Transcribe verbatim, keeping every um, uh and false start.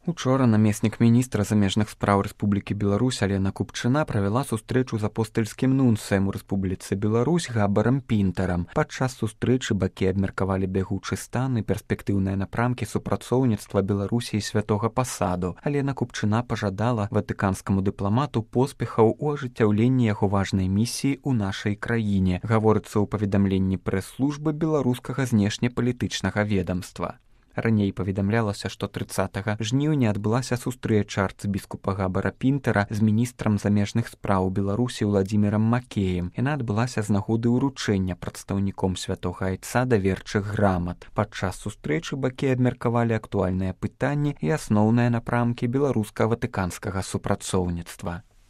Учора намеснік міністра замежных спраў Рэспублікі Беларусь Алена Купчына правяла сустрэчу з апостальскім нунцыем у Рэспубліцы Беларусь Габарам Пінтарам. Падчас сустрэчы бакі абмеркавалі бягучы стан і перспектыўныя напрамкі супрацоўніцтва Беларусі і святога пасаду. Алена Купчына пажадала ватыканскаму дыпламату поспехаў у ажыццяўленні яго важнай місіі ў нашай краіне, гаворыцца ў паведамленні прэс-службы беларускага знешнепалітычнага ведамства. Раней паведамлялася, што трыццатага жніўня адбылася сустрэча арцыбіскупа Габара Пінтара з міністрам замежных спраў Беларусі Уладзімірам Макеем. Яна адбылася з нагоды ўручэння прадстаўніком святога айца даверчых грамат. Падчас сустрэчы бакі абмеркавалі актуальныя пытанні і асноўныя напрамкі беларуска-ватыканскага супрацоўніцтва.